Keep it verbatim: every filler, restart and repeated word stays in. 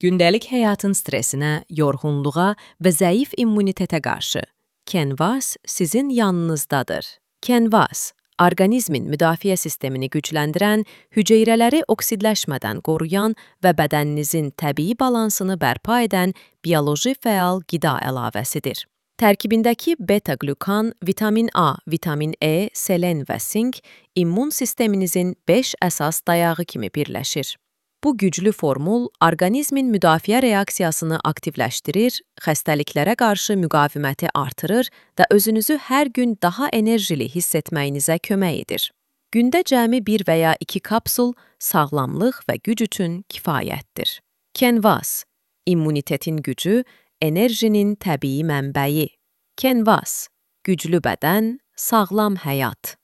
Gündəlik həyatın stresinə, yorğunluğa və zəif immunitetə qarşı. Canvas sizin yanınızdadır. Canvas, orqanizmin müdafiə sistemini gücləndirən, hüceyrələri oksidləşmədən qoruyan və bədəninizin təbii balansını bərpa edən bioloji fəal qida əlavəsidir. Tərkibindəki beta-qlükan, vitamin A, vitamin E, selen və sink immun sisteminizin beş əsas dayağı kimi birləşir. Bu güclü formul orqanizmin müdafiə reaksiyasını aktivləşdirir, xəstəliklərə qarşı müqaviməti artırır və özünüzü hər gün daha enerjili hiss etməyinizə kömək edir. Gündə cəmi bir və ya iki kapsul sağlamlıq və güc üçün kifayətdir. Canvas, immunitetin gücü, enerjinin təbii mənbəyi. Canvas, güclü bədən, sağlam həyat.